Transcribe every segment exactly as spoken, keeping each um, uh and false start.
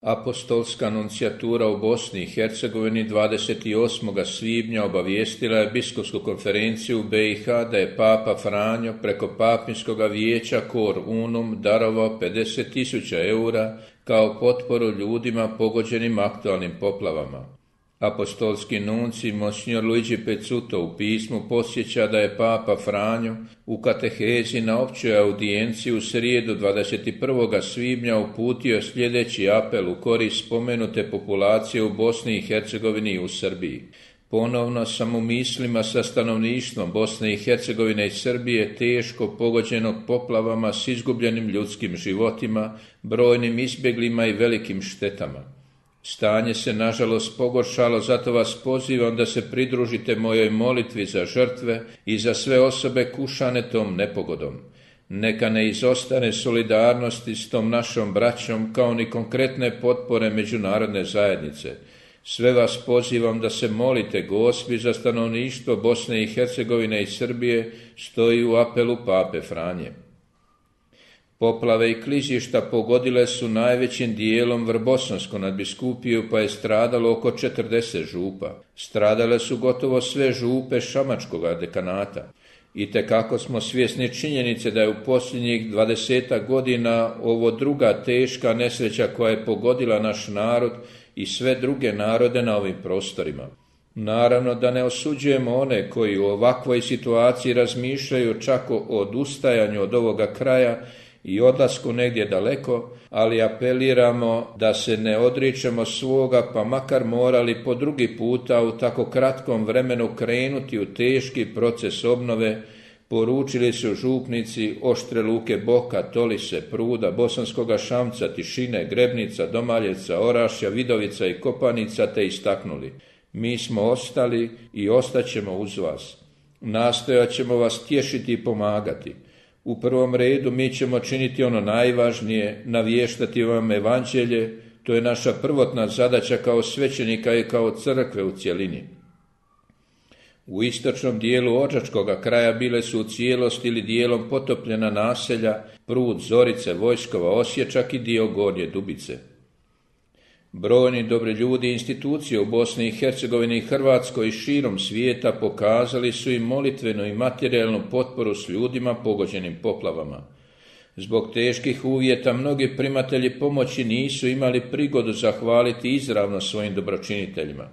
Apostolska nuncijatura u Bosni i Hercegovini dvadeset osmog svibnja obavijestila je biskupsku konferenciju u B i H da je Papa Franjo preko Papinskoga vijeća Cor Unum darovao pedeset tisuća eura kao potporu ljudima pogođenim aktualnim poplavama. Apostolski nunci Monsignor Luigi Pezzuto u pismu podsjeća da je Papa Franjo u katehezi na općoj audijenciji u srijedu dvadeset prvog svibnja uputio sljedeći apel u korist spomenute populacije u Bosni i Hercegovini i u Srbiji. Ponovno sam u mislima sa stanovništvom Bosne i Hercegovine i Srbije teško pogođenog poplavama s izgubljenim ljudskim životima, brojnim izbjeglima i velikim štetama. Stanje se nažalost pogoršalo, zato vas pozivam da se pridružite mojoj molitvi za žrtve i za sve osobe kušane tom nepogodom. Neka ne izostane solidarnosti s tom našom braćom kao ni konkretne potpore međunarodne zajednice. Sve vas pozivam da se molite Gospi za stanovništvo Bosne i Hercegovine i Srbije, stoji u apelu Pape Franje. Poplave i klizišta pogodile su najvećim dijelom Vrbosansku nadbiskupiju, pa je stradalo oko četrdeset župa. Stradale su gotovo sve župe Šamačkoga dekanata. Itekako smo svjesni činjenice da je u posljednjih dvadesetak godina ovo druga teška nesreća koja je pogodila naš narod i sve druge narode na ovim prostorima. Naravno da ne osuđujemo one koji u ovakvoj situaciji razmišljaju čak o odustajanju od ovoga kraja i odlasku negdje daleko, ali apeliramo da se ne odričemo svoga, pa makar morali po drugi puta u tako kratkom vremenu krenuti u teški proces obnove, poručili su župnici Oštre Luke, Boka, Tolise, Pruda, Bosanskoga Šamca, Tišine, Grebnica, Domaljevca, Orašja, Vidovica i Kopanica, te istaknuli: mi smo ostali i ostaćemo uz vas. Nastojat ćemo vas tješiti i pomagati. U prvom redu mi ćemo činiti ono najvažnije, navještati vam evanđelje, to je naša prvotna zadaća kao svećenika i kao crkve u cjelini. U istočnom dijelu Odžačkoga kraja bile su u cijelosti ili dijelom potopljena naselja Prud, Zorice, Vojskova, Osječak i dio Gornje Dubice. Brojni dobri ljudi i institucije u Bosni i Hercegovini i Hrvatskoj i širom svijeta pokazali su i molitvenu i materijalnu potporu s ljudima pogođenim poplavama. Zbog teških uvjeta mnogi primatelji pomoći nisu imali prigodu zahvaliti izravno svojim dobročiniteljima.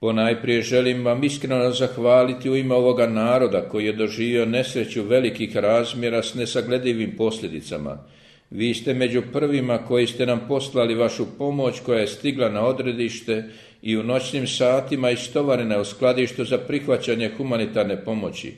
Ponajprije želim vam iskreno zahvaliti u ime ovoga naroda koji je doživio nesreću velikih razmjera s nesagledivim posljedicama. Vi ste među prvima koji ste nam poslali vašu pomoć koja je stigla na odredište i u noćnim satima istovarena u skladištu za prihvaćanje humanitarne pomoći.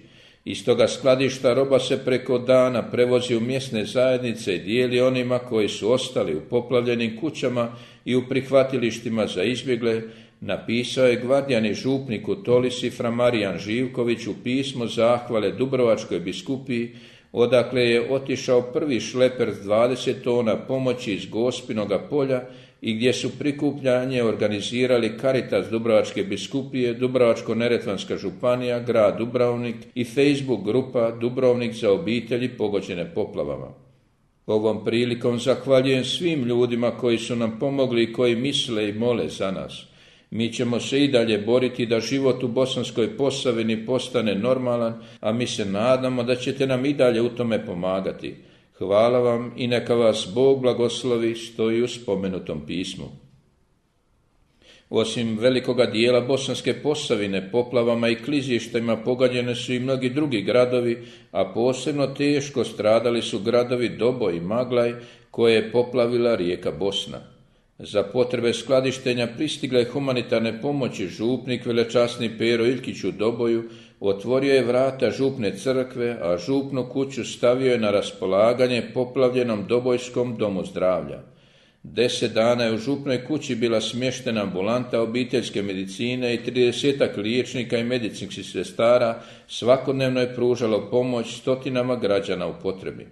Iz toga skladišta roba se preko dana prevozi u mjesne zajednice i dijeli onima koji su ostali u poplavljenim kućama i u prihvatilištima za izbjegle, napisao je gvardijani župnik u Tolisi fra Marijan Živković u pismo zahvale Dubrovačkoj biskupiji, odakle je otišao prvi šleper s dvadeset tona pomoći iz Gospinoga polja i gdje su prikupljanje organizirali Caritas Dubrovačke biskupije, Dubrovačko-neretvanska županija, grad Dubrovnik i Facebook grupa Dubrovnik za obitelji pogođene poplavama. Ovom prilikom zahvaljujem svim ljudima koji su nam pomogli i koji misle i mole za nas. Mi ćemo se i dalje boriti da život u Bosanskoj Posavini postane normalan, a mi se nadamo da ćete nam i dalje u tome pomagati. Hvala vam i neka vas Bog blagoslovi, stoji u spomenutom pismu. Osim velikoga dijela Bosanske Posavine, poplavama i klizištima pogađene su i mnogi drugi gradovi, a posebno teško stradali su gradovi Doboj i Maglaj koje je poplavila rijeka Bosna. Za potrebe skladištenja pristigle humanitarne pomoći župnik velečasni Pero Iljkić u Doboju otvorio je vrata župne crkve, a župnu kuću stavio je na raspolaganje poplavljenom Dobojskom domu zdravlja. Deset dana je u župnoj kući bila smještena ambulanta obiteljske medicine i tridesetak liječnika i medicinskih sestara svakodnevno je pružalo pomoć stotinama građana u potrebi.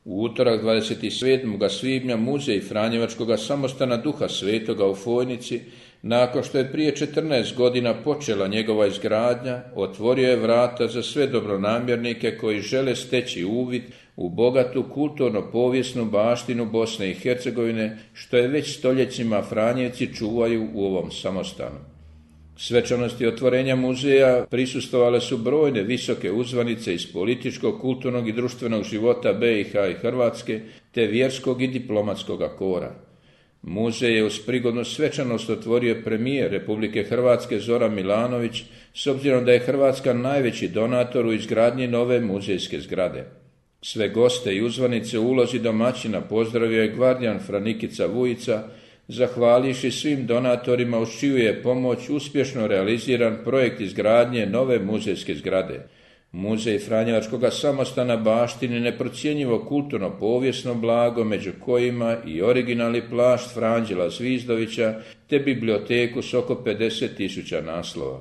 U utorak dvadeset sedmog svibnja muzej Franjevačkoga samostana Duha Svetoga u Fojnici, nakon što je prije četrnaest godina počela njegova izgradnja, otvorio je vrata za sve dobronamjernike koji žele steći uvid u bogatu kulturno-povijesnu baštinu Bosne i Hercegovine, što je već stoljećima Franjevci čuvaju u ovom samostanu. Svečanosti otvorenja muzeja prisustvovale su brojne visoke uzvanice iz političkog, kulturnog i društvenog života B i H i Hrvatske, te vjerskog i diplomatskog kora. Muzej je uz prigodnu svečanost otvorio premijer Republike Hrvatske Zoran Milanović, s obzirom da je Hrvatska najveći donator u izgradnji nove muzejske zgrade. Sve goste i uzvanice u ulozi domaćina pozdravio je gvardijan Franikica Vujica, zahvalivši svim donatorima uz čiju je pomoć uspješno realiziran projekt izgradnje nove muzejske zgrade. Muzej Franjevačkog samostana baštini neprocjenjivo kulturno-povijesno blago, među kojima i originalni plašt Franđela Zvizdovića, te biblioteku s oko pedeset tisuća naslova.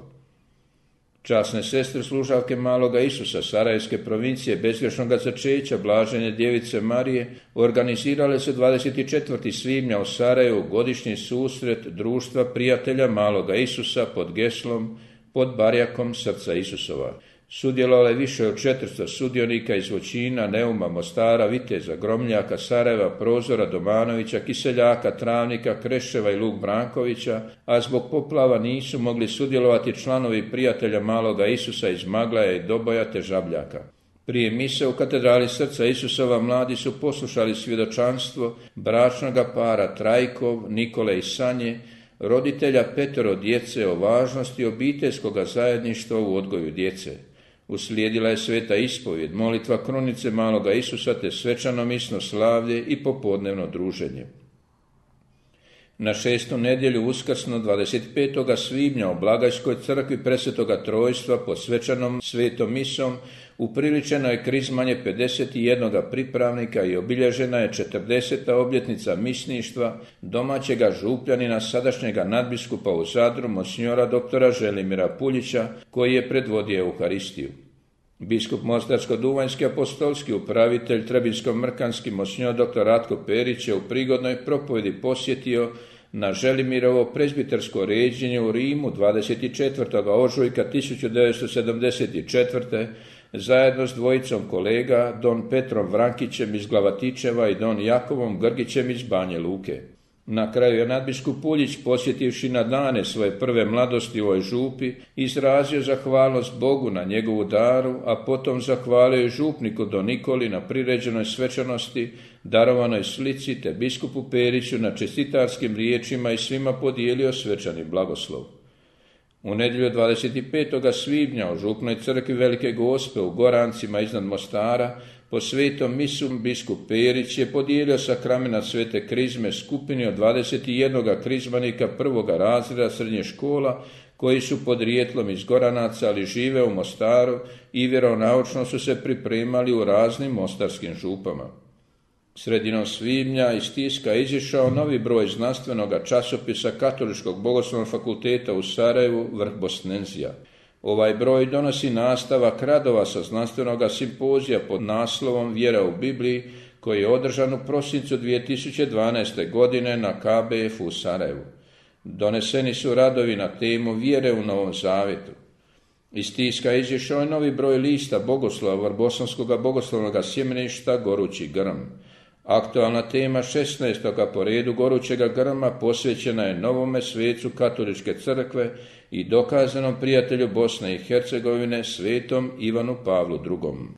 Časne sestre služavke Maloga Isusa Sarajevske provincije bezgrešnoga začeća Blažene djevice Marije organizirale su dvadeset četvrtog svibnja u Sarajevu godišnji susret Društva prijatelja Maloga Isusa pod geslom "Pod barjakom srca Isusova". Sudjelovalo je više od četiristo sudionika iz Voćina, Neuma, Mostara, Viteza, Gromljaka, Sarajeva, Prozora, Domanovića, Kiseljaka, Travnika, Kreševa i Luk Brankovića, a zbog poplava nisu mogli sudjelovati članovi prijatelja Maloga Isusa iz Maglaja i Doboja te Žabljaka. Prije mise u katedrali srca Isusova mladi su poslušali svjedočanstvo bračnoga para Trajkov, Nikole i Sanje, roditelja petero djece o važnosti obiteljskoga zajedništva u odgoju djece. Uslijedila je sveta ispovjed, molitva krunice Maloga Isusa te svečano misno slavlje i popodnevno druženje. Na šestu nedjelju uskrsno dvadeset petog svibnja u Blagajskoj crkvi Presvetoga Trojstva pod svečanom svetom misom upriličeno je krizmanje pedeset jednog pripravnika i obilježena je četrdeseta obljetnica misništva domaćega župljanina sadašnjega nadbiskupa u Zadru, monsignora doktora Želimira Puljića, koji je predvodio Euharistiju. Biskup Mostarsko-duvanjski apostolski upravitelj Trebinsko-mrkanski monsignor doktor Ratko Perić je u prigodnoj propovjedi posjetio na Želimirovo prezbitersko ređenje u Rimu dvadeset četvrtog ožujka tisuću devetsto sedamdeset četvrte zajedno s dvojicom kolega, don Petrom Vrankićem iz Glavatičeva i don Jakovom Grgićem iz Banje Luke. Na kraju je nadbiskup Puljić, posjetivši na dane svoje prve mladosti u ovoj župi, izrazio zahvalnost Bogu na njegovu daru, a potom zahvalio i župniku don Nikoli na priređenoj svečanosti, darovanoj slici, te biskupu Periću na čestitarskim riječima i svima podijelio svečani blagoslov. U nedjelju dvadeset petog svibnja u župnoj crkvi Velike Gospe u Gorancima iznad Mostara po svetom misu biskup Perić je podijelio sakramenat svete krizme skupini od dvadeset jednog krizmanika prvoga razreda srednje škola koji su podrijetlom iz Goranaca, ali žive u Mostaru i vjeronaučno su se pripremali u raznim mostarskim župama. Sredinom svibnja iz tiska je izišao novi broj znanstvenog časopisa Katoličkog bogoslovnog fakulteta u Sarajevu Vrh Bosnenzija. Ovaj broj donosi nastavak radova sa znanstvenog simpozija pod naslovom Vjera u Bibliji, koji je održan u prosincu dvije tisuće dvanaeste. godine na K B F u Sarajevu. Doneseni su radovi na temu Vjere u Novom Zavjetu. Iz tiska je izišao je novi broj lista bogoslova Vrbosanskog bogoslovnog sjemeništa Gorući grm. Aktualna tema šesnaestog po redu Gorućega grma posvećena je novome svecu Katoličke crkve i dokazanom prijatelju Bosne i Hercegovine svetom Ivanu Pavlu drugom.